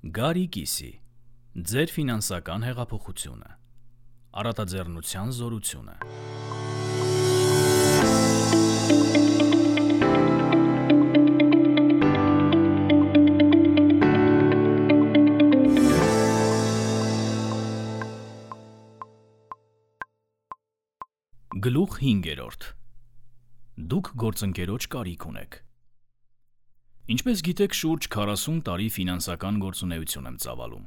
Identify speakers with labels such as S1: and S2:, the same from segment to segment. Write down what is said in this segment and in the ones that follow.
S1: Գարի կիսի, ձեր ֆինանսական հեղափոխությունը, առատաձեռնության զորությունը։ Գլուխ 5. Դուք գործընկերոջ կարիք ունեք։ Ինչպես գիտեք, շուրջ 40 տարի ֆինանսական գործունեություն եմ ծավալում։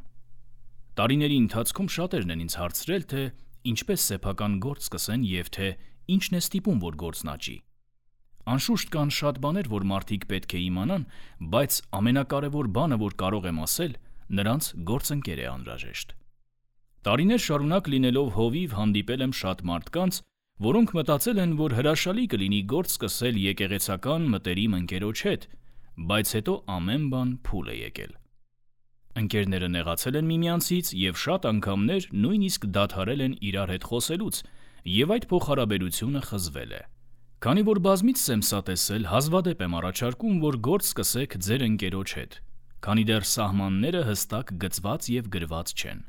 S1: Տարիների ընթացքում շատերն են ինձ հարցրել, թե ինչպես սեփական գործ սկսեն և թե ինչն է ստիպում, որ գործն աճի։ Անշուշտ կան շատ բաներ, որ մարդիկ պետք է իմանան, բայց ամենակարևոր բանը, որ կարող եմ ասել, նրանց գործընկեր է անհրաժեշտ։ Տարիներ շարունակ լինելով հովիվ հանդիպել եմ շատ մարդկանց, որոնք մտածել են, որ հրաշալի կլինի գործ սկսել եկեղեցական մտերիմ ընկերոջ հետ, բայց հետո ամեն բան փուլ է եկել։ Ընկերները նեղացել են միմյանցից և շատ անգամներ նույնիսկ դադարել են իրար հետ խոսելուց, և այդ փոխհարաբերությունը խզվել է։ Քանի որ բազմիցս եմ սա տեսել, հազվադեպ եմ առաջարկում, որ գործ սկսեք ձեր ընկերոջ հետ, քանի դեռ սահմանները հստակ գծված և գրված չեն։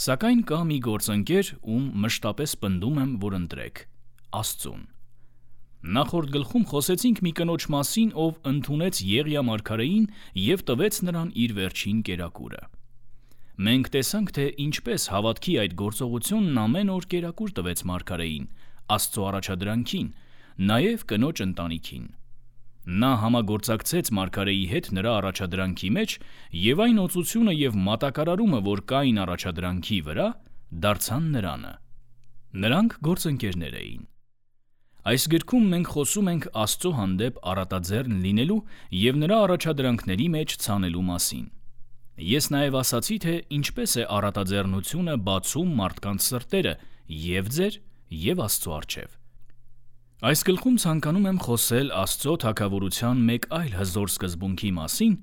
S1: Սակայն կա մի գործընկեր, ում մշտապես պնդում եմ, որ ընտրեք՝ Աստծուն։ Նախորդ գլխում խոսեցինք մի կնոջ մասին, ով ընդունեց Եղիա մարգարեին և տվեց նրան իր վերջին կերակուրը։ Մենք տեսանք, թե ինչպես հավատքի այդ գործողությունն ամեն օր կերակուր տվեց մարգարեին, Աստծո առաջադրանքին, նաև կնոջ ընտանիքին։ Նա համագործակցեց մարգարեի հետ նրա առաջադրանքի մեջ, և այն օծությունը և մատակարարումը, որ կային առաջադրանքի վրա, դարձան նրանը։ Նրանք գործընկերներ էին։ Այս գրքում մենք խոսում ենք Աստծո հանդեպ առատաձեռն լինելու և նրա առաջադրանքների մեջ ցանելու մասին։ Ես նաև ասացի, թե ինչպես է առատաձեռնությունը բացում մարդկանց սրտերը և ձեր, և Աստծո առջև։ Այս գլխում ցանկանում եմ խոսել Աստծո թագավորության մեկ այլ հզոր սկզբունքի մասին,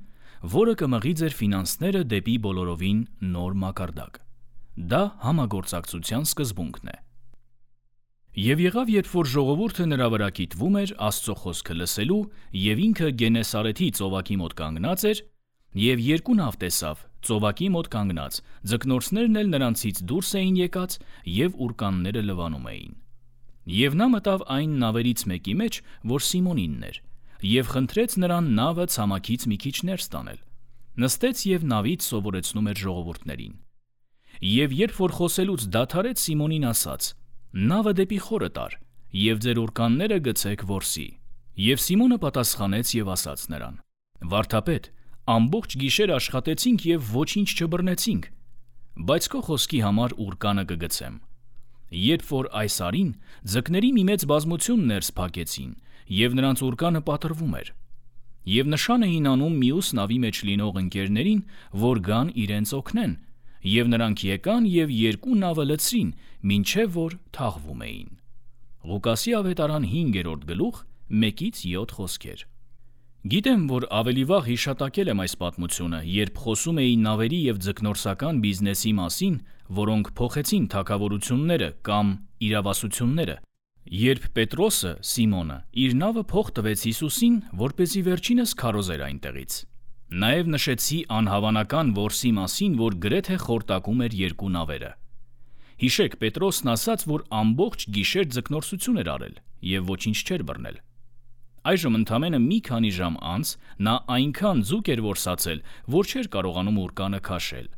S1: որը կմղի ձեր ֆինանսները դեպի բոլորովին նոր մակարդակ։ Դա համագործակցության սկզբունքն է։ Եվ եղավ, երբ որ ժողովուրդը նրա վրա կիտվում էր Աստծո խոսքը լսելու, և ինքը Գենեսարեթի ծովակի մոտ կանգնած էր, և երկու նավ տեսավ, ծովակի մոտ կանգնած, ձկնորսներն էլ նրանցից դուրս էին եկած և ուռկանները լվանում էին։ Եվ նա մտավ այն նավերից մեկի մեջ, որ Սիմոնինն էր, և խնդրեց նրան նավը ցամաքից մի քիչ ներս տանել։ Նստեց և նավից սովորեցնում էր ժողովուրդներին։ Եվ երբ որ խոսելուց դադարեց, Սիմոնին ասաց. «Նավը դեպի խորը տար, և ձեր ուռկանները գցեք որսի»։ Եվ Սիմոնը պատասխանեց և ասաց նրան. «Վարդապետ, ամբողջ գիշեր աշխատեցինք և ոչինչ չբռնեցինք, բայց քո խոսքի համար ուռկանը կգցեմ»։ Երբ որ այս արին, ձկների մի մեծ բազմություն ներս փակեցին, և նրանց ուռկանը պատռվում էր։ Եվ նշան էին անում մյուս նավի մեջ լինող ընկերներին, որ գան իրենց օգնեն, և նրանք եկան և երկու նավը լցրին, մինչև որ թաղվում էին։ Ղուկասի ավետարան 5 գլուխ 1-7 խոսքեր։ Գիտեմ, որ ավելի վաղ հիշատակել եմ այս պատմությունը, երբ խոսում էի նավերի և ձկնորսական բիզնեսի մասին, որոնք փոխեցին թագավորությունները կամ իրավասությունները, երբ Պետրոսը, Սիմոնը, իր նավը փող տվեց Հիսուսին, որպեսզի վերջինս քարոզեր այնտեղից։ Նաև նշեցի անհավանական որսի մասին, որ գրեթե խորտակում էր երկու նավերը։ Հիշեք, Պետրոսն ասաց, որ ամբողջ գիշեր ձկնորսություն էր արել և ոչինչ չէր բռնել։ Այժմ ընդամենը մի քանի ժամ անց նա այնքան ձուկ էր որսացել, որ չէր կարողանում ուռկանը քաշել։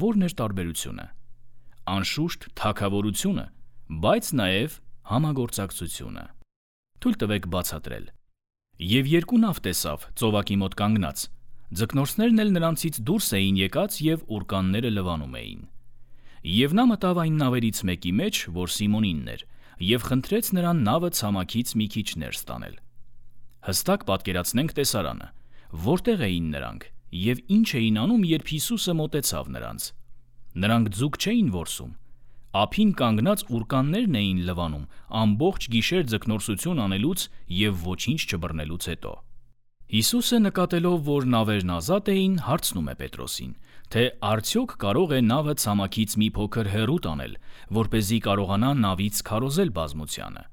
S1: Ո՞րն էր տարբերությունը։ Անշուշտ թագավորությունը, բայց նաև համագործակցությունը։ Թույլ տվեք բացատրել։ Եվ երկու նավ տեսավ ծովակի մոտ կանգնած, ձկնորսներն էլ նրանցից դուրս էին եկած և ուռկանները լվանում էին։ Եվ նա մտավ այն նավերից մեկի մեջ, որ Սիմոնինն էր, և խնդրեց նրան նավը ցամաքից մի քիչ ներս տանել։ Հստակ պատկերացնենք տեսարանը, որտեղ էին նրանք և ինչ էին անում, երբ Հիսուսը մոտեցավ նրանց։ Նրանք ձուկ չէին որսում, ափին կանգնած ուռկաններն էին լվանում ամբողջ գիշեր ձկնորսություն անելուց և ոչինչ չբռնելուց հետո։ Հիսուսը, նկատելով, որ նավերն ազատ էին, հարցնում է Պետրոսին, թե արդյոք կարող է նավը ցամաքից մի փոքր հեռու տանել, որպեսզի կարողանա նավից քարոզել բազմությանը։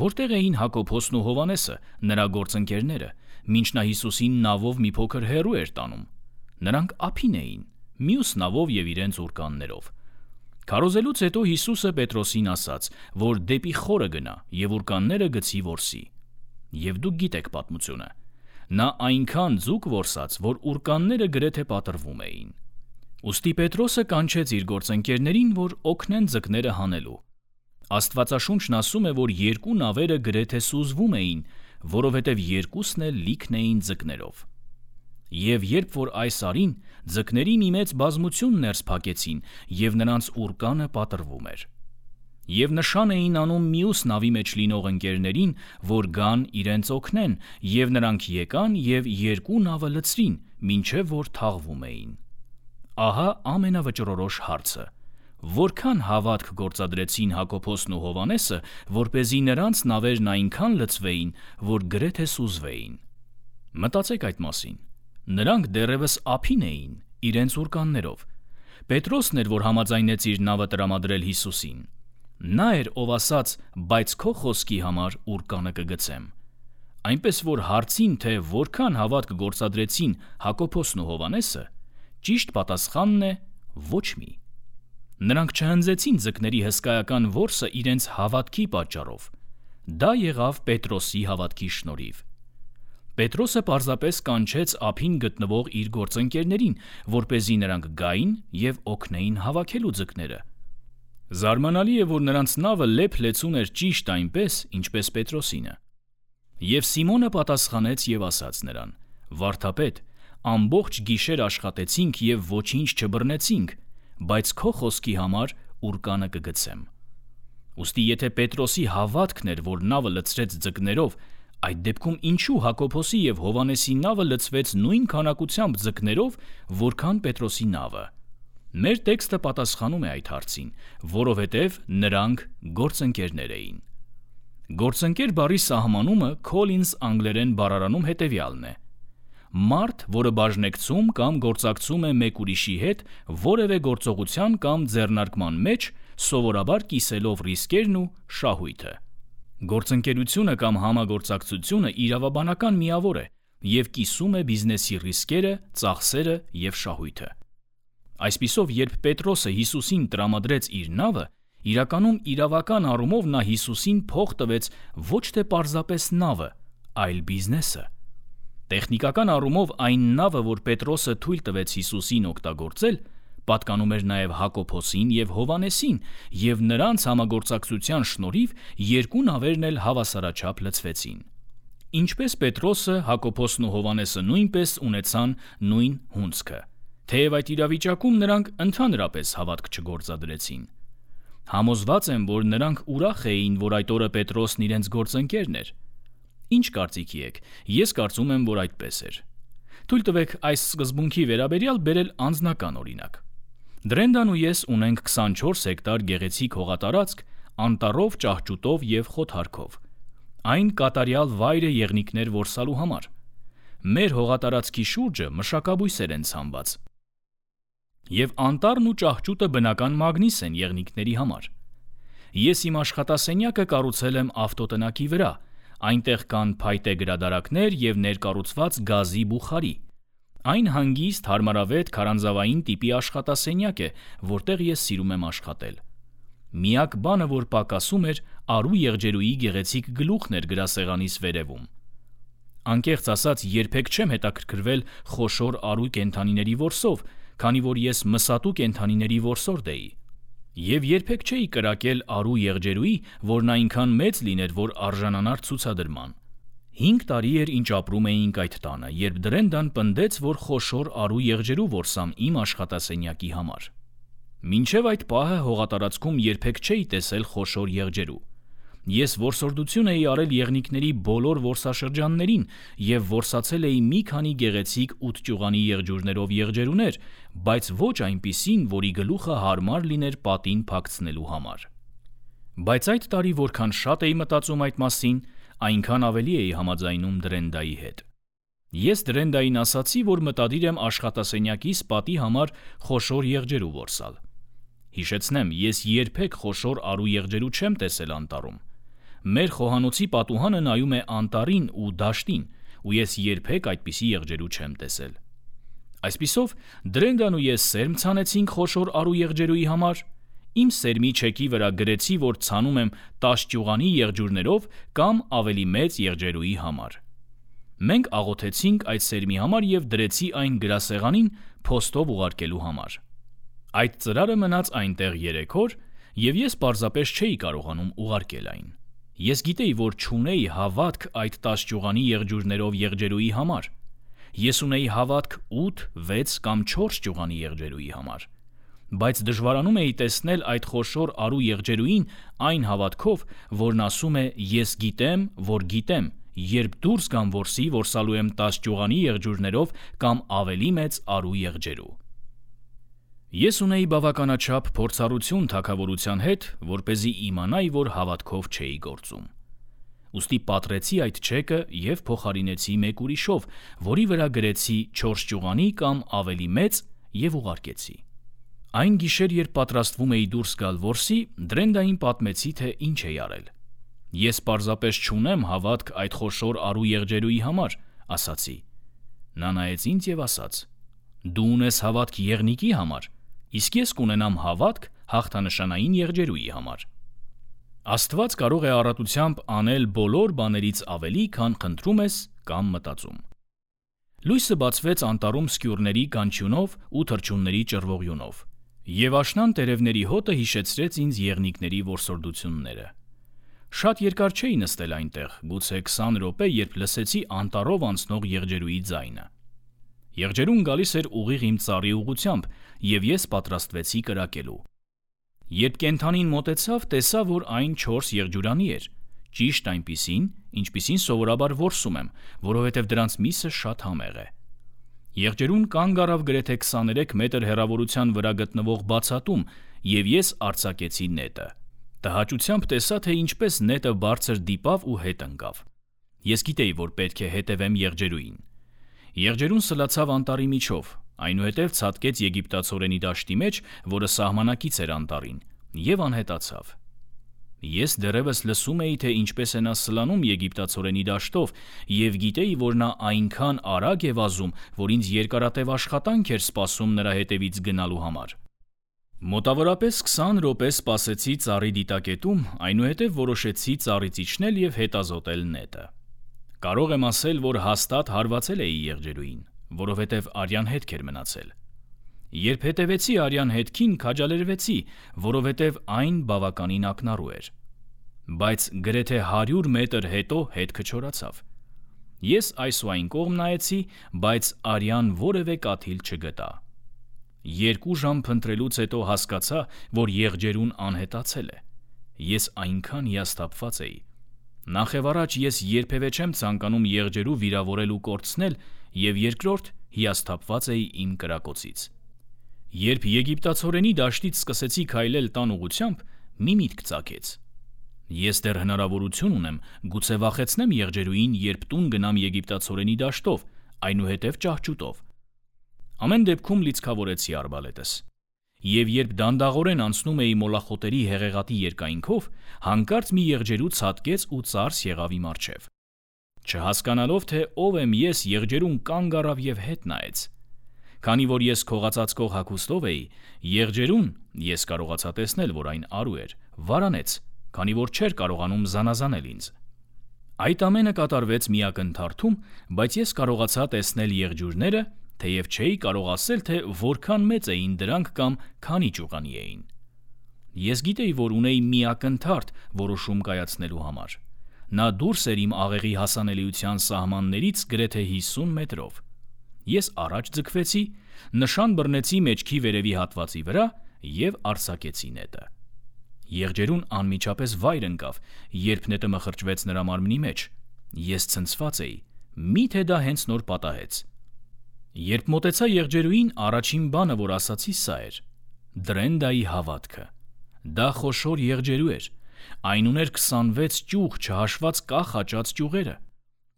S1: Որտեղ էին Հակոբոսն ու Հովհաննեսը, նրա գործընկերները, մինչ նա Հիսուսին նավով մի փոքր հեռու էր տանում։ Նրանք ափին էին, մյուս նավով և իրենց ուրկաններով։ Քարոզելուց հետո Հիսուսը Պետրոսին ասաց, որ դեպի խորը գնա և ուրկանները գցի որսի։ Եվ դուք գիտեք պատմությունը։ Նա այնքան ձուկ որսաց, որ ուրկանները գրեթե պատռվում էին։ Ուստի Պետրոսը կանչեց իր գործընկերներին, որ օգնեն ձկները հանելու։ Աստվածաշունչն ասում է, որ երկու նավերը գրեթե սուզվում էին, որովհետև երկուսն էլ լիքն էին ձկներով։ Եվ երբ որ այս արին, ձկների մի մեծ բազմություն ներս փակեցին, և նրանց ուրկանը պատռվում էր։ Եվ նշան էին անում մյուս նավի մեջ լինող ընկերներին, որ գան իրենց օգնեն, և նրանք եկան և երկու նավը լցրին, մինչև որ թաղվում էին։ Ահա ամենավճռորոշ հարցը. որքան հավատք գործադրեցին Հակոբոսն ու Հովհաննեսը, որպեսզի նրանց նավերն այնքան լցվեին, որ գրեթե սուզվեին։ Մտածեք այդ մասին։ Նրանք դեռևս ափին էին, իրենց ուրկաններով։ Պետրոսն էր, որ համաձայնեց իր նավը տրամադրել Հիսուսին։ Նա էր, ով ասաց, բայց քո խոսքի համար ուրկանը կգցեմ։ Այնպես որ հարցին, թե որքան հավատք գործադրեցին Հակոբոսն ու Հովհաննեսը, ճիշտ պատասխանն է ոչ մի։ Նրանք չհնձեցին ձկների հսկայական որսը իրենց հավատքի պատճառով։ Դա եղավ Պետրոսի հավատքի շնորհիվ։ Պետրոսը պարզապես կանչեց ափին գտնվող իր գործընկերներին, որպեսզի նրանք գային և օգնեին հավաքելու ձկները։ Զարմանալի է, որ նրանց նավը լեփ-լեցուն էր ճիշտ այնպես, ինչպես Պետրոսինը։ Եվ Սիմոնը պատասխանեց և ասաց նրան. «Վարդապետ, ամբողջ գիշեր աշխատեցինք և ոչինչ չբռնեցինք, բայց քո խոսքի համար ուրկանը կգցեմ»։ Ուստի եթե Պետրոսի հավատքն էր, որ նավը լցրեց ձկներով, այդ դեպքում ինչու Հակոբոսի և Հովհաննեսի նավը լցվեց նույն քանակությամբ ձկներով, որքան Պետրոսի նավը։ Մեր տեքստը պատասխանում է այդ հարցին, որովհետև նրանք գործընկերներ էին։ Գործընկեր բառի սահմանումը Collins անգլերեն բառարանում հետևյալն է. մարդ, որը բաժնեկցում կամ գործակցում է մեկ ուրիշի հետ որևէ գործողության կամ ձեռնարկման մեջ, սովորաբար կիսելով ռիսկերն ու շահույթը։ Գործընկերությունը կամ համագործակցությունը իրավաբանական միավոր է և կիսում է բիզնեսի ռիսկերը, ծախսերը և շահույթը։ Այսպիսով, երբ Պետրոսը Հիսուսին տրամադրեց իր նավը, իրականում իրավական առումով նա Հիսուսին փող տվեց ոչ թե պարզապես նավը, այլ բիզնեսը։ Տեխնիկական առումով այն նավը, որ Պետրոսը թույլ տվեց Հիսուսին օգտագործել, պատկանում էր նաև Հակոբոսին և Հովհաննեսին, և նրանց համագործակցության շնորհիվ երկու նավերն էլ հավասարաչափ լցվեցին։ Ինչպես Պետրոսը, Հակոբոսն ու Հովհաննեսը նույնպես ունեցան նույն հունձքը, թեև այդ իրավիճակում նրանք ընդհանրապես հավատք չգործադրեցին։ Համոզված եմ, որ նրանք ուրախ էին, որ այդ օրը Պետրոսն իրենց գործընկերն էր։ Ինչ կարծիքի եք, ես կարծում եմ, որ այդպես էր։ Թույլ տվեք այս սկզբունքի վերաբերյալ բերել անձնական օրինակ։ Դրենդան ու ես ունենք 24 հեկտար գեղեցիկ հողատարածք անտառով, ճահճուտով և խոթարքով։ Այն կատարյալ վայր է եղնիկներ որսալու համար։ Մեր հողատարածքի շուրջը մշակաբույսեր են ցանված։ Եվ անտառն ու ճահճուտը բնական մագնիս են եղնիկների համար։ Ես իմ աշխատասենյակը կառուցել եմ ավտոտնակի վրա, այնտեղ կան փայտե գրադարաններ և ներկառուցված գազի բուխարի։ Այն հանգիստ, հարմարավետ, քարանձավային տիպի աշխատասենյակ է, որտեղ ես սիրում եմ աշխատել։ Միակ բանը, որ պակասում էր, արու եղջերուի գեղեցիկ գլուխն էր գրասեղանիս վերևում։ Անկեղծ ասած, երբեք չեմ հետաքրքրվել խոշոր արու կենդանիների որսով, քանի որ ես մսատու կենդանիների որսորդ էի։ Եվ երբեք չէի կրակել արու եղջերուի, որն այնքան մեծ լիներ, որ արժանանար ցուցադրման։ 5 տարի էր, ինչ ապրում էինք այդ տանը, երբ Դրենդան պնդեց, որ խոշոր արու եղջերու որսամ իմ աշխատասենյակի համար։ Մինչև այդ պահը հողատարածքում երբեք չէի տեսել խոշոր եղջերու։ Ես որսորդություն էի արել եղնիկների բոլոր որսաշրջաններին և որսացել էի մի քանի գեղեցիկ 8 ճյուղանի եղջյուրներով եղջերուներ, բայց ոչ այնպիսին, որի գլուխը հարմար լիներ պատին փակցնելու համար։ Բայց այդ տարի որքան շատ էի մտածում այդ մասին, այնքան ավելի էի համաձայնում Դրենդայի հետ։ Ես Դրենդային ասացի, որ մտադիր եմ աշխատասենյակիս պատի համար խոշոր եղջերու որսալ։ Հիշեցնեմ, ես երբեք խոշոր արու եղջերու չեմ տեսել անտառում։ Մեր խոհանոցի պատուհանը նայում է անտառին ու դաշտին, ու ես երբեք այդպիսի եղջերու չեմ տեսել։ Այսպիսով, Դրենդան ու ես սերմ ցանեցինք խոշոր արու եղջերուի համար, իմ սերմի չեկի վրա գրեցի, որ ցանում եմ 10 ճյուղանի եղջյուրներով կամ ավելի մեծ եղջերուի համար։ Մենք աղոթեցինք այդ սերմի համար և դրեցի այն գրասեղանին փոստով ուղարկելու համար։ Այդ ծրարը մնաց այնտեղ 3 օր, և ես պարզապես չէի կարողանում ուղարկել այն։ Ես գիտեի, որ չունեի հավատք այդ 10 ճյուղանի եղջյուրներով եղջերուի համար։ Ես ունեի հավատք 8, 6 կամ 4 ճյուղանի եղջերուի համար, բայց դժվարանում էի տեսնել այդ խոշոր արու եղջերուին այն հավատքով, որն ասում է «Ես գիտեմ, որ գիտեմ, երբ դուրս գամ որսի, որսալու եմ 10 ճյուղանի եղջյուրներով կամ ավելի մեծ արու եղջերու»։ Ես ունեի բավականաչափ փորձառություն թագավորության հետ, որպեսզի իմանայի, որ հավատքով չէի գործում։ Ուստի պատռեցի այդ չեկը և փոխարինեցի մեկ ուրիշով, որի վրա գրեցի 4 ճյուղանի կամ ավելի մեծ և ուղարկեցի։ Այն գիշեր, երբ պատրաստվում էի դուրս գալ որսի, Դրենդային պատմեցի, թե ինչ էի արել։ Ես պարզապես չունեմ հավատք այդ խոշոր արու եղջերուի համար, ասացի։ Նա նայեց ինձ և ասաց. «Դու ունես հավատք եղնիկի համար, իսկ ես կունենամ հավատք հաղթանշանային եղջերուի համար»։ Աստված կարող է առատությամբ անել բոլոր բաներից ավելի, քան խնդրում ես կամ մտածում։ Լույսը բացվեց անտառում սկյուրների կանչյունով ու թռչունների ճռվողյունով, և աշնան տերևների հոտը հիշեցրեց ինձ եղնիկների որսորդությունները։ Շատ երկար չէի նստել այնտեղ, գուցե 20 րոպե, երբ լսեցի անտառով անցնող եղջերուի ձայնը։ Եղջերուն գալիս էր ուղիղ իմ ծառի ուղղությամբ, և ես պատրաստվեցի կրակելու։ Երբ կենդանին մոտեցավ, տեսա, որ այն 4 եղջյուրանի էր, ճիշտ այնպիսին, ինչպիսին սովորաբար որսում եմ, որովհետև դրանց միսը շատ համեղ է։ Եղջերուն կանգ առավ գրեթե 23 մետր հեռավորության վրա գտնվող բացատում, և ես արձակեցի նետը։ Տհաճությամբ տեսա, թե ինչպես նետը բարձր դիպավ ու հետ ընկավ։ Ես գիտեի, որ պետք է հետևեմ եղջերուին։ Եղջերուն սլացավ անտառի միջով, այնուհետև ցատկեց եգիպտացորենի դաշտի մեջ, որը սահմանակից էր անտառին, և անհետացավ։ Ես դեռևս լսում էի, թե ինչպես է նա սլանում եգիպտացորենի դաշտով, և գիտեի, որ նա այնքան արագ է վազում, որ ինձ երկարատև աշխատանք էր սպասում նրա հետևից գնալու համար։ Մոտավորապես 20 րոպե սպասեցի ծառի դիտակետում, այնուհետև որոշեցի ծառից իջնել և հետազոտել նետը։ Կարող եմ ասել, որ հաստատ հարվածել էի եղջերուին, որովհետև արյան հետք էր մնացել։ Երբ հետևեցի արյան հետքին, քաջալերվեցի, որովհետև այն բավականին ակնառու էր։ Բայց գրեթե 100 մետր հետո հետքը չորացավ։ Ես այս ու այն կողմ նայեցի, բայց արյան որևէ կաթիլ չգտա։ 2 ժամ փնտրելուց հետո հասկացա, որ եղջերուն անհետացել է։ Ես այնքան հիասթափված էի։ Նախևառաջ ես երբևէ չեմ ցանկանում եղջերու վիրավորել ու կորցնել, և երկրորդ հիասթափված էի իմ կրակոցից։ Երբ եգիպտացորենի դաշտից սկսեցի քայլել տան ուղղությամբ, մի միտք ծագեց։ Ես դեռ հնարավորություն ունեմ գուցե վախեցնեմ եղջերուին, երբ տուն գնամ եգիպտացորենի դաշտով, այնուհետև ճահճուտով։ Ամեն դեպքում լիցքավորեցի արբալետս։ Եվ երբ դանդաղորեն անցնում էի մոլախոտերի հեղեղատի երկայնքով, հանկարծ մի եղջերու ցատկեց ու ծարս եղավ իմ առջև։ Չհասկանալով, թե ով եմ ես, եղջերուն կանգ առավ և հետ նայեց։ Քանի որ ես քողածածկող հագուստով էի, եղջերուն, ես կարողացա տեսնել, որ այն արու էր, վարանեց, քանի որ չէր կարողանում զանազանել ինձ։ Այդ ամենը կատարվեց մի ակնթարթում, բայց ես կարողացա տեսնել եղջյուրները, թեև չէի կարող ասել, թե որքան մեծ էին դրանք կամ քանի ճյուղանի էին։ Ես գիտեի, որ ունեի մի ակնթարթ որոշում կայացնելու համար։ Նա դուրս էր իմ աղեղի հասանելիության սահմաններից գրեթե 50 մետրով։ Ես առաջ ձգվեցի, նշան բռնեցի մեջքի վերևի հատվածի վրա և արձակեցի նետը։ Եղջերուն անմիջապես վայր ընկավ, երբ նետը մխրճվեց նրա մարմնի մեջ։ Ես ցնցված էի, միթե դա հենց նոր պատահեց։ Երբ մոտեցա եղջերուին, առաջին բանը, որ ասացի, սա էր. Դրենդայի հավատքը։ Դա խոշոր եղջերու էր։ Այն ուներ 26 ճյուղ, չհաշված կախ աճած ճյուղերը։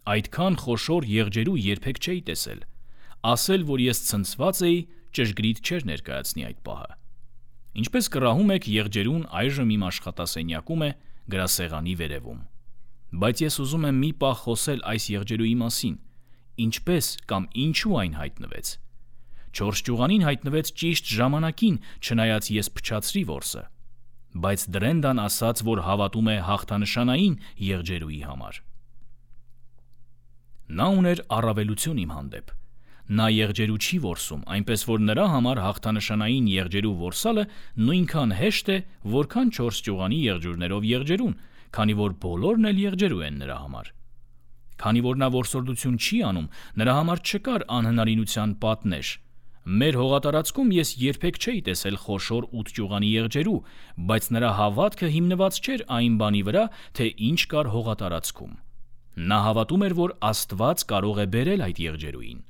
S1: Այդքան խոշոր եղջերու երբեք չէի տեսել։ Ասել, որ ես ցնցված էի, ճշգրիտ չէր ներկայացնի այդ պահը։ Ինչպես կռահում եք, եղջերուն այժմ իմ աշխատասենյակում է գրասեղանի վերևում։ Բայց ես ուզում եմ մի պահ խոսել այս եղջերուի մասին։ Ինչպես կամ ինչու այն հայտնվեց։ Չորս ճյուղանին հայտնվեց ճիշտ ժամանակին, չնայած ես փչացրի որսը։ Բայց Դրենդան ասաց, որ հավատում է հաղթանշանային եղջերուի համար։ Նա ուներ առավելություն իմ հանդեպ։ Նա եղջերու չի որսում, այնպես որ նրա համար հաղթանշանային եղջերու որսալը նույնքան հեշտ է, որքան 4 ճյուղանի եղջյուրներով եղջերուն, քանի որ բոլորն էլ եղջերու են նրա համար։ Քանի որ նա որսորդություն չի անում, նրա համար չկար անհնարինության պատնեշ։ Մեր հողատարածքում ես երբեք չէի տեսել խոշոր 8 ճյուղանի եղջերու, բայց նրա հավատքը հիմնված չէր այն բանի վրա, թե ինչ կար հողատարածքում։ Նա հավատում էր, որ Աստված կարող է բերել այդ եղջերուին։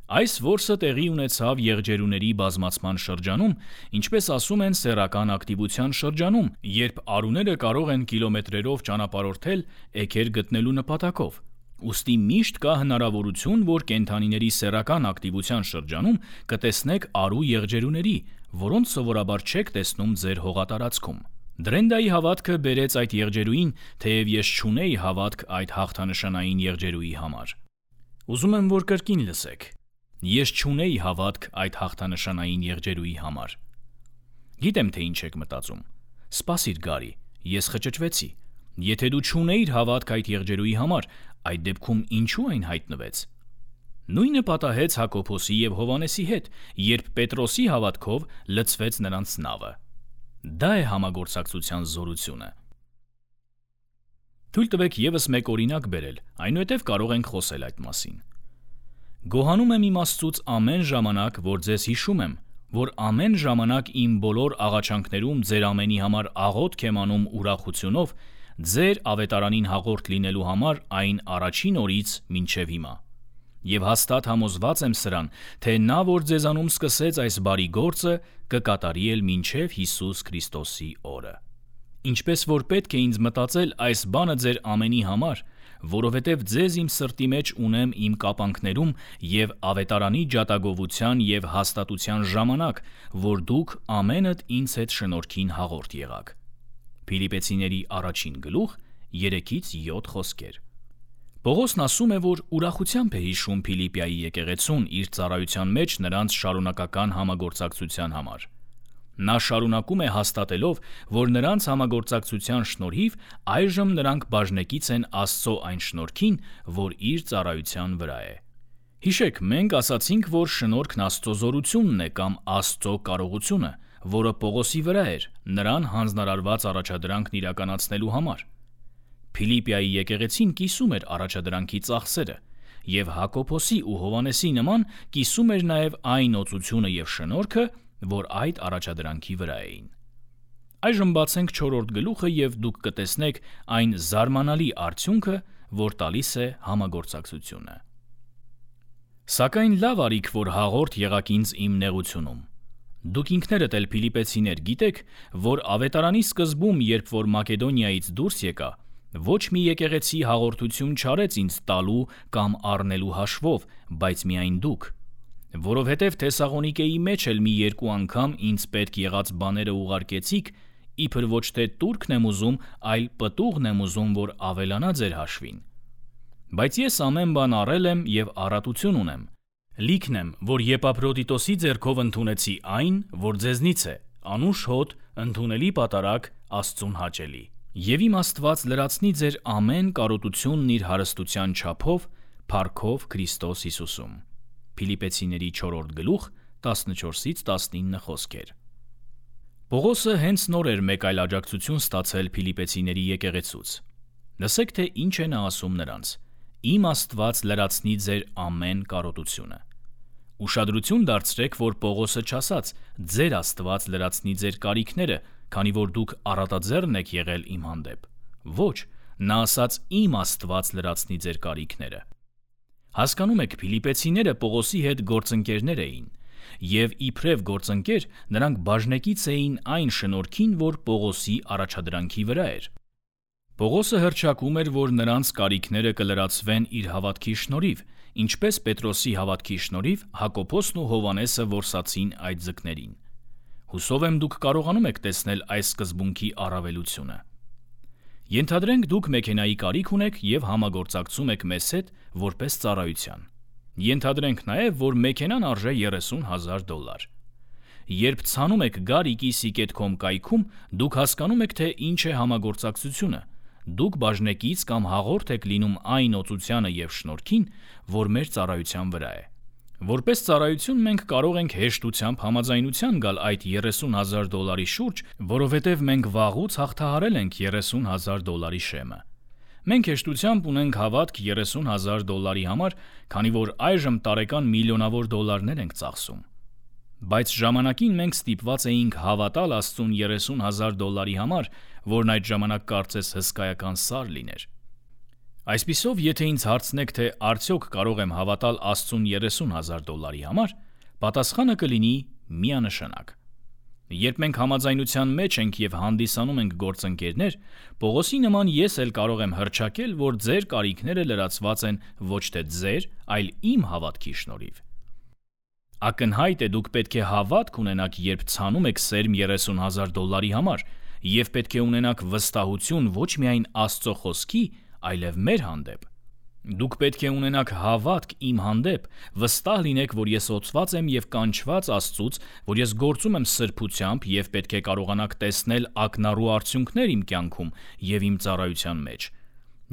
S1: Այս որսը տեղի ունեցավ եղջերուների բազմացման շրջանում, ինչպես ասում են սեռական ակտիվության շրջանում, երբ արուները կարող են կիլոմետրերով ճանապարհորդել էգեր գտնելու նպատակով։ Ուստի միշտ կա հնարավորություն, որ կենդանիների սեռական ակտիվության շրջանում կտեսնեք արու եղջերուների, որոնց սովորաբար չեք տեսնում ձեր հողատարածքում։ Դրենդայի հավատքը բերեց այդ եղջերուին, թեև ես չունեի հավատք այդ հաղթանշանային եղջերուի համար։ Ուզում եմ, որ կրկին լսեք։ Ես չունեի հավատք այդ հաղթանշանային եղջերուի համար։ Գիտեմ, թե ինչ եք մտածում։ Սպասիր, Գարի, ես խճճվեցի։ Եթե դու չունեիր հավատք այդ եղջերուի համար, այդ դեպքում ինչու այն հայտնվեց։ Նույնը պատահեց Հակոբոսի և Հովանեսի հետ, երբ Պետրոսի հավատքով լցվեց նրանց նավը։ Դա է համագործակցության զորությունը։ Թույլ տվեք ևս մեկ օրինակ բերել, այնուհետև կարող ենք խոսել այդ մասին։ Գոհանում եմ իմ Աստծուց ամեն ժամանակ, որ ձեզ հիշում եմ, որ ամեն ժամանակ իմ բոլոր աղաչանքներում ձեր ամենի համար աղոթք եմ անում ուրախությունով, ձեր ավետարանին հաղորդ լինելու համար այն առաջին օրից մինչև հիմա։ Եվ հաստատ համոզված եմ սրան, թե նա, որ ձեզանում սկսեց այս բարի գործը, կկատարի էլ մինչև Հիսուս Քրիստոսի օրը։ Ինչպես որ պետք է ինձ մտածել այս բանը ձեր ամենի համար, որովհետև ձեզ իմ սրտի մեջ ունեմ իմ կապանքներում և ավետարանի ջատագովության և հաստատության ժամանակ, որ դուք ամենդ ինձ հետ շնորհքին հաղորդ եղաք։ Փիլիպեցիների 1:3-7 խոսքեր։ Պողոսն ասում է, որ ուրախությամբ է հիշում Փիլիպիայի եկեղեցուն իր ծառայության մեջ նրանց շարունակական համագործակցության համար։ Նա շարունակում է հաստատելով, որ նրանց համագործակցության շնորհիվ այժմ նրանք բաժնեկից են Աստծո այն շնորհքին, որ իր ծառայության վրա է։ Հիշեք, մենք ասացինք, որ շնորհքն Աստծո զորությունն է կամ Աստծո կարողությունը, որը Պողոսի վրա էր, նրան հանձնարարված առաջադրանքն իրականացնելու համար։ Փիլիպիայի եկեղեցին կիսում էր առաջադրանքի ծախսերը, և Հակոբոսի ու Հովանեսի նման կիսում էր նաև այն օծությունը և շնորհքը, որ այդ առաջադրանքի վրա էին։ Այժմ բացենք 4-րդ գլուխը և դուք կտեսնեք այն զարմանալի արդյունքը, որ տալիս է համագործակցությունը։ Սակայն լավ արիք, որ հաղորդ եղաք ինձ իմ նեղությունում։ Դուք ինքներդ էլ Փիլիպեցիներ գիտեք, որ ավետարանի սկզբում, երբ որ Մակեդոնիայից դուրս եկա, ոչ մի եկեղեցի հաղորդություն չարեց ինձ տալու կամ առնելու հաշվով, բայց միայն դուք։ Որովհետև Թեսաղոնիկեի մեջ էլ մի երկու անգամ ինձ պետք եղած բաները ուղարկեցիք, իբր ոչ թե տուրքն եմ ուզում, այլ պտուղն եմ ուզում, որ ավելանա ձեր հաշվին։ Բայց ես ամեն բան առել եմ և առատություն ունեմ։ Լիքն եմ, որ Եփափրոդիտոսի ձեռքով ընդունեցի այն, որ ձեզնից է, անուշ հոտ, ընդունելի պատարագ, Աստծուն հաճելի։ Եվ իմ Աստված լրացնի ձեր ամեն կարոտությունն իր հարստության չափով, փառքով Քրիստոս Հիսուսում։ Փիլիպեցիների 4-րդ գլուխ 14-19 խոսքեր։ Պողոսը հենց նոր էր մեկ այլ աջակցություն ստացել Փիլիպեցիների եկեղեցուց։ Լսեք, թե ինչ է նա ասում նրանց. «Իմ Աստված լրացնի ձեր ամեն կարոտությունը»։ Ուշադրություն դարձրեք, որ Պողոսը չասաց. «Ձեր Աստված լրացնի ձեր կարիքները, քանի որ դուք առատաձեռն եք եղել իմ հանդեպ»։ Ոչ, նա ասաց. «Իմ Աստված լրացնի ձեր կարիքները»։ Հասկանում եք, Փիլիպեցիները Պողոսի հետ գործընկերներ էին, և իբրև գործընկեր նրանք բաժնեկից էին այն շնորհքին, որ Պողոսի առաջադրանքի վրա էր։ Պողոսը հռչակում էր, որ նրանց կարիքները կլրացվեն իր հավատքի շնորհիվ, ինչպես Պետրոսի հավատքի շնորհիվ Հակոբոսն ու Հովանեսը որսացին այդ ձկներին։ Հուսով եմ դուք կարողանում եք տեսնել այս սկզբունքի առավելությունը։ Ենթադրենք դուք մեքենայի կարիք ունեք և համագործակցում եք մեզ հետ որպես ծառայության։ Ենթադրենք նաև, որ մեքենան արժե $30,000։ Երբ ցանում եք gariki.com կայքում, դուք հասկանում եք, թե ինչ է համագործակցությունը։ Դուք բաժնեկից կամ հաղորդ եք լինում այն օծությանը և շնորհքին, որ մեր ծառայության վրա է։ Որպես ծառայություն մենք կարող ենք հեշտությամբ համաձայնության գալ այդ $30,000 շուրջ, որովհետև մենք վաղուց հաղթահարել ենք $30,000 շեմը։ Մենք հեշտությամբ ունենք հավատք $30,000 համար, քանի որ այժմ տարեկան միլիոնավոր դոլարներ ենք ծախսում։ Բայց ժամանակին մենք ստիպված էինք հավատալ Աստծուն $30,000 համար, որն այդ ժամանակ կարծես հսկայական սար լիներ։ Այսպիսով, եթե ինձ հարցնեք, թե արդյոք կարող եմ հավատալ Աստծուն $30,000 համար, պատասխանը կլինի միանշանակ։ Երբ մենք համաձայնության մեջ ենք և հանդիսանում ենք գործընկերներ, Պողոսի նման ես էլ կարող եմ հռչակել, որ ձեր կարիքները լրացված են ոչ թե ձեր, այլ իմ հավատքի շնորհիվ։ Ակնհայտ է, դուք պետք է հավատք ունենաք, երբ ցանում եք սերմ $30,000 համար, և պետք է ունենաք վստահություն ոչ միայն Աստծո խոսքի, այլև մեր հանդեպ։ Դուք պետք է ունենաք հավատք իմ հանդեպ, վստահ լինեք, որ ես օծված եմ և կանչված Աստծուց, որ ես գործում եմ սրբությամբ և պետք է կարողանաք տեսնել ակնառու արդյունքներ իմ կյանքում և իմ ծառայության մեջ։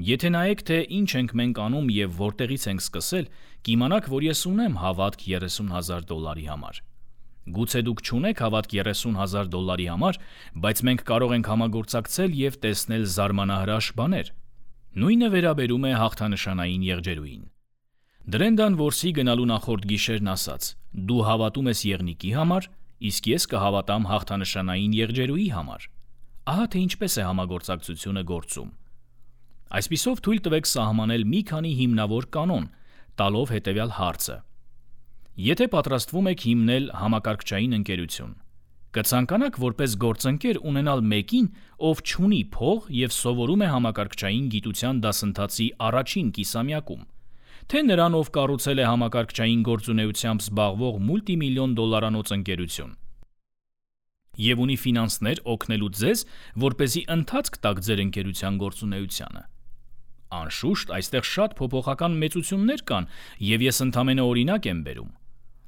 S1: Եթե նայեք, թե ինչ ենք մենք անում և որտեղից ենք սկսել, կիմանաք, որ ես ունեմ հավատք $30,000 համար։ Գուցե դուք չունեք հավատք $30,000 համար, բայց մենք կարող ենք համագործակցել և տեսնել զարմանահրաշ բաներ։ Նույնը վերաբերում է հաղթանշանային եղջերուին։ Դրենդան Որսի գնալու նախորդ գիշերն ասաց. «Դու հավատում ես եղնիկի համար, իսկ ես կհավատամ հաղթանշանային եղջերուի համար»։ Ահա թե ինչպես է համագործակցությունը գործում։ Այսպիսով թույլ տվեք սահմանել մի քանի հիմնավոր կանոն, տալով հետևյալ հարցը. Եթե պատրաստվում եք հիմնել համակարգչային ընկերություն, կցանկանաք որպես գործընկեր ունենալ մեկին, ով չունի փող և սովորում է համակարգչային գիտության դասընթացի առաջին կիսամյակում, թե նրան, ով կառուցել է համակարգչային գործունեությամբ զբաղվող մուլտիմիլիոն դոլարանոց ընկերություն և ունի ֆինանսներ օգնելու ձեզ, որպեսզի ընթացք տաք ձեր ընկերության գործունեությանը։ Անշուշտ, այստեղ շատ փոփոխական մեծություններ կան, և ես ընդամենը օրինակ եմ բերում։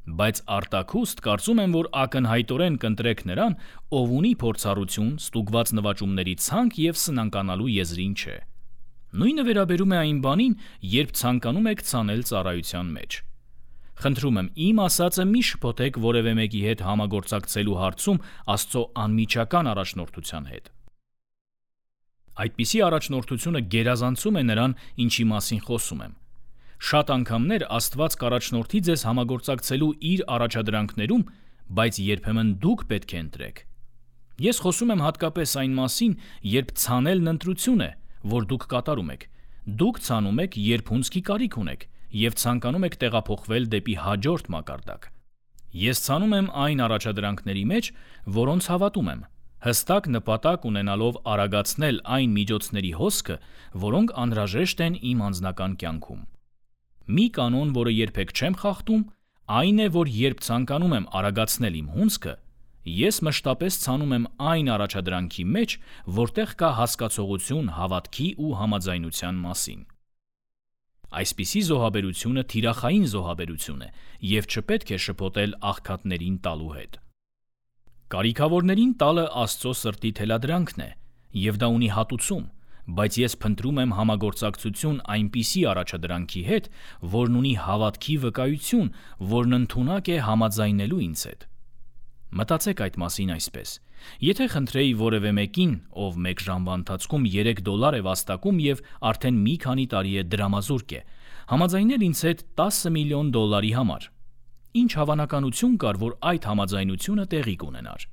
S1: Բայց արտաքուստ կարծում եմ, որ ակնհայտորեն կընտրեք նրան, ով ունի փորձառություն, ստուգված նվաճումների ցանկ և սնանկանալու եզրին չէ։ Նույնը վերաբերում է այն բանին, երբ ցանկանում եք ցանել ծառայության մեջ։ Խնդրում եմ, իմ ասածը մի շփոթեք որևէ մեկի հետ համագործակցելու հարցում Աստծո անմիջական առաջնորդության հետ։ Այդպիսի առաջնորդությունը գերազանցում է նրան, ինչի մասին խոսում եմ։ Շատ անգամներ Աստված կառաջնորդի ձեզ համագործակցելու իր առաջադրանքներում, բայց երբեմն դուք պետք է ընտրեք։ Ես խոսում եմ հատկապես այն մասին, երբ ցանելն ընտրություն է, որ դուք կատարում եք։ Դուք ցանում եք, երբ հունձքի կարիք ունեք և ցանկանում եք տեղափոխվել դեպի հաջորդ մակարդակ։ Ես ցանում եմ այն առաջադրանքների մեջ, որոնց հավատում եմ, հստակ նպատակ ունենալով արագացնել այն միջոցների հոսքը, որոնք անհրաժեշտ են իմ անձնական կյանքում։ Մի կանոն, որը երբեք չեմ խախտում, այն է, որ երբ ցանկանում եմ արագացնել իմ հունձքը, ես մշտապես ցանում եմ այն առաջադրանքի մեջ, որտեղ կա հասկացողություն հավատքի ու համաձայնության մասին։ Այսպիսի զոհաբերությունը թիրախային զոհաբերություն է և չպետք է շփոթել աղքատներին տալու հետ։ Կարիքավորներին տալը Աստծո սրտի թելադրանքն է, և դա ունի հատուցում, բայց ես փնտրում եմ համագործակցություն այնպիսի առաջադրանքի հետ, որն ունի հավատքի վկայություն, որն ընդունակ է համաձայնելու ինձ հետ։ Մտածեք այդ մասին այսպես. եթե խնդրեի որևէ մեկին, ով մեկ ժամվա ընթացքում $3 է վաստակում և արդեն մի քանի տարի է դրամազուրկ է, համաձայնել ինձ հետ $10 միլիոն համար, ինչ հավանականություն կար, որ այդ համաձայնությունը տեղի կունենար։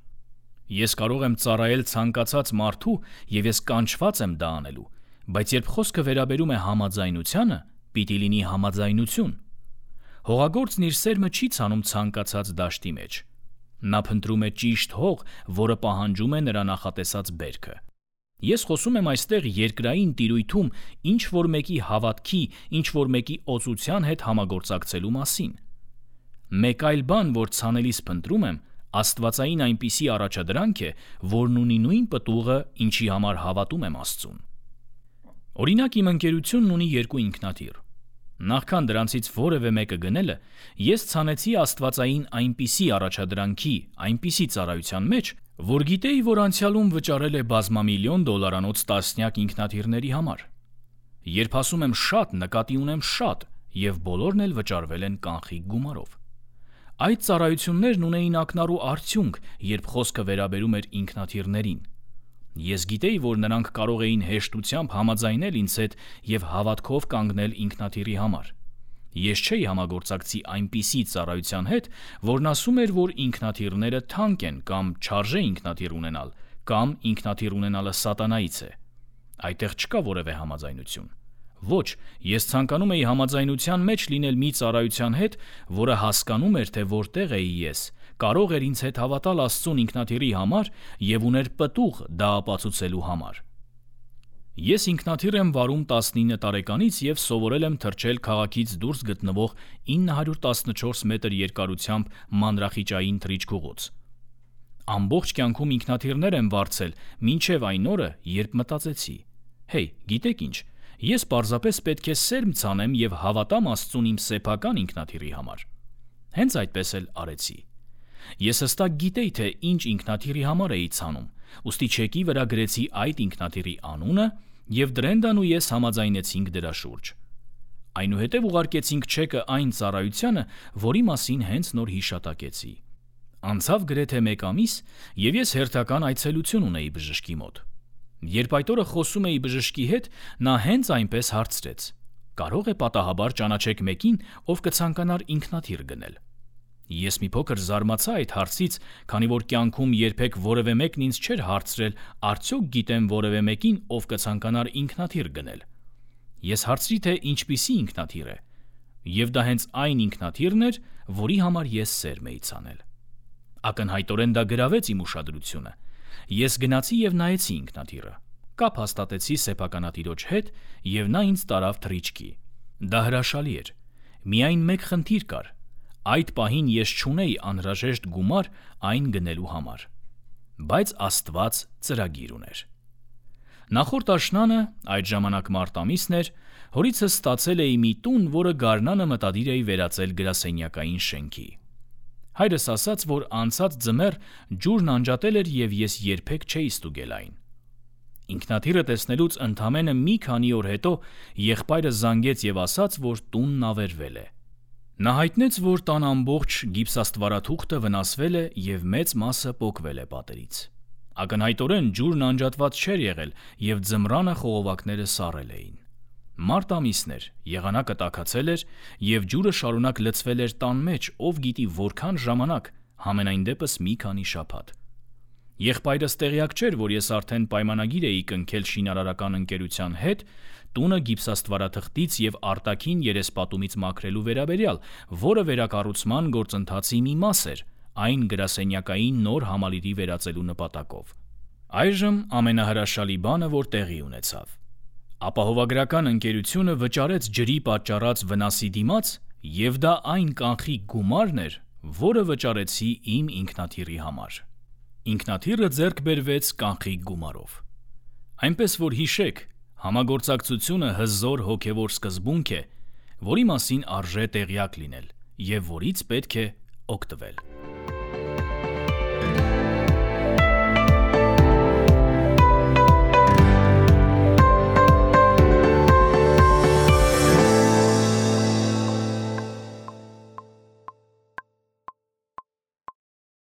S1: Ես կարող եմ ծառայել ցանկացած մարդու և ես կանչված եմ դա անելու, բայց երբ խոսքը վերաբերում է համաձայնությանը, պիտի լինի համաձայնություն։ Հողագործն իր սերմը չի ցանում ցանկացած դաշտի մեջ։ Նա փնտրում է ճիշտ հող, որը պահանջում է նրա նախատեսած բերքը։ Ես խոսում եմ այստեղ երկրային տիրույթում ինչ-որ մեկի հավատքի, ինչ-որ մեկի օծության հետ համագործակցելու մասին։ Մեկ այլ բան, որ ցանելիս փնտրում եմ, աստվածային այնպիսի առաջադրանք է, որն ունի նույն պտուղը, ինչի համար հավատում եմ Աստծուն։ Օրինակ, իմ ընկերությունն ունի երկու ինքնաթիռ։ Նախքան դրանցից որևէ մեկը գնելը, ես ցանեցի աստվածային այնպիսի առաջադրանքի, այնպիսի ծառայության մեջ, որ գիտեի, որ անցյալում վճարել է բազմամիլիոն դոլարանոց տասնյակ ինքնաթիռների համար։ Երբ ասում եմ շատ, նկատի ունեմ շատ, եւ բոլորն էլ վճարվել են կանխիկ գումարով։ Այդ ծառայություններն ունեին ակնառու արդյունք, երբ խոսքը վերաբերում էր ինքնաթիռներին։ Ես գիտեի, որ նրանք կարող էին հեշտությամբ համաձայնել ինձ հետ եւ հավատքով կանգնել ինքնաթիռի համար։ Ես չէի համագործակցի այնպիսի ծառայության հետ, որն ասում էր, որ ինքնաթիռները թանկ են կամ չարժե ինքնաթիռ ունենալ, կամ ինքնաթիռ ունենալը սատանայից է։ Այդտեղ չկա որևէ համաձայնություն։ Ոչ, ես ցանկանում էի համաձայնության մեջ լինել մի ծառայության հետ, որը հասկանում էր, թե որտեղ էի ես, կարող էր ինձ հետ հավատալ Աստծուն ինքնաթիռի համար եւ ուներ պտուղ դա ապացուցելու համար։ Ես ինքնաթիռ եմ վարում 19 տարեկանից եւ սովորել եմ թռչել քաղաքից դուրս գտնվող 914 մետր երկարությամբ մանրախիճային թռիչքուղուց։ Ամբողջ կյանքում ինքնաթիռներ եմ վարձել, մինչև այն օրը, երբ մտածեցի. «Հեյ, գիտեք ինչ, ես պարզապես պետք է սերմ ցանեմ եւ հավատամ Աստծուն իմ սեփական ինքնաթիռի համար»։ Հենց այդպես էլ արեցի։ Ես հստակ գիտեի, թե ինչ ինքնաթիռի համար էի ցանում, ուստի չեկի վրա գրեցի այդ ինքնաթիռի անունը եւ Դրենդան ու ես համաձայնեցինք դրա շուրջ։ Այնուհետև ուղարկեցինք չեկը այն ծառայությանը, որի մասին հենց նոր հիշատակեցի։ Անցավ գրեթե 1 ամիս, եւ ես հերթական այցելություն ունեի բժշկի մոտ։ Երբ այդ օրը խոսում էի բժշկի հետ, նա հենց այնպես հարցրեց. «Կարող է պատահաբար ճանաչեք մեկին, ով կցանկանար ինքնաթիռ գնել»։ Ես մի փոքր զարմացա այդ հարցից, քանի որ կյանքում երբեք որևէ մեկն ինձ չէր հարցրել, արդյոք գիտեմ որևէ մեկին, ով կցանկանար ինքնաթիռ գնել։ Ես հարցրի, թե ինչպիսի ինքնաթիռ է, եւ դա հենց այն ինքնաթիռն էր, որի համար ես սերմ էի ցանել։ Ակնհայտորեն դա գրավեց իմ ուշադրությունը։ Ես գնացի եւ նայեցի ինքնաթիռը, կապ հաստատեցի սեփականատիրոջ հետ եւ նա ինձ տարավ թռիչքի։ Դա հրաշալի էր։ Միայն մեկ խնդիր կար։ Այդ պահին ես չունեի անհրաժեշտ գումար այն գնելու համար։ Բայց Աստված ծրագիր ուներ։ Նախորդ աշնանը, այդ ժամանակ մարտ ամիսն էր, հորիցս ստացել էի մի տուն, որը գարնանը մտադիր էի վերածել գրասենյակային շենքի։ Հայրս ասաց, որ անցած ձմեռ ջուրն անջատել էր եւ ես երբեք չէի ստուգել այն։ Ինքնաթիռը տեսնելուց ընդամենը մի քանի օր հետո եղբայրը զանգեց եւ ասաց, որ տունն ավերվել է։ Նա հայտնեց, որ տան ամբողջ գիպսաստվարաթուղթը վնասվել է եւ մեծ մասը պոկվել է պատերից։ Ակնհայտորեն ջուրն անջատված չէր եղել եւ ձմռանը խողովակները սառել էին։ Մարտ ամիսն էր, եղանակը տաքացել էր եւ ջուրը շարունակ լցվել էր տան մեջ, ով գիտի որքան ժամանակ, համենայն դեպս մի քանի շաբաթ։ Եղբայրս տեղյակ չէր, որ ես արդեն պայմանագիր էի կնքել շինարարական ընկերության հետ տունը գիպսաստվարաթղթից եւ արտաքին երեսպատումից մաքրելու վերաբերյալ, որը վերակառուցման գործընթացի մի մաս էր, այն գրասենյակային նոր համալիրի վերածելու նպատակով։ Այժմ ամենահրաշալի բանը, որ տեղի ունեցավ։ Ապահովագրական ընկերությունը վճարեց ջրի պատճառած վնասի դիմաց, եւ դա այն կանխիկ գումարն էր, որը վճարեցի իմ ինքնաթիռի համար։ Ինքնաթիռը ձեռք բերվեց կանխիկ գումարով։ Այնպես որ հիշեք, համագործակցությունը հզոր հոգևոր սկզբունք է, որի մասին արժե տեղյակ լինել եւ որից պետք է օգտվել։